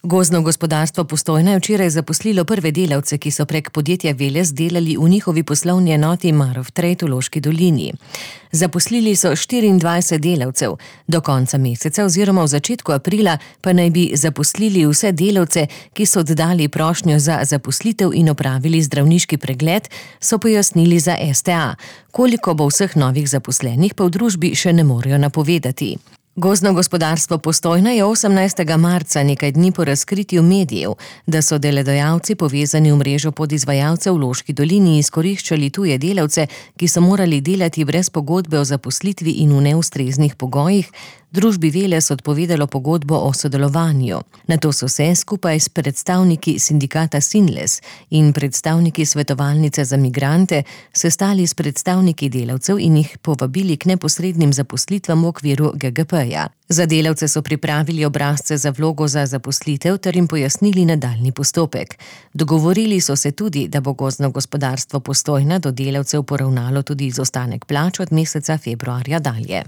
Gozdno gospodarstvo Postojna je včeraj zaposlilo prve delavce, ki so prek podjetja Veles delali v njihovi poslovni enoti Marof Trade v Loški dolini. Zaposlili so 24 delavcev, do konca meseca oziroma v začetku aprila pa naj bi zaposlili vse delavce, ki so oddali prošnjo za zaposlitev in opravili zdravniški pregled, so pojasnili za STA. Koliko bo vseh novih zaposlenih, pa v družbi še ne morejo napovedati. Gozdno gospodarstvo Postojna je 18. marca, nekaj dni po razkritju medijev, da so delodajalci povezani v mrežo podizvajalcev v Loški dolini izkoriščali tuje delavce, ki so morali delati brez pogodbe o zaposlitvi in v neustreznih pogojih, družbi Veles odpovedalo pogodbo o sodelovanju. Nato so se skupaj s predstavniki sindikata Sinles in predstavniki svetovalnice za migrante sestali s predstavniki delavcev in jih povabili k neposrednim zaposlitvam v okviru GGP-ja. Za delavce so pripravili obrazce za vlogo za zaposlitev ter jim pojasnili nadaljnji postopek. Dogovorili so se tudi, da bo gozdno gospodarstvo Postojna do delavcev poravnalo tudi izostanek plač od meseca februarja dalje.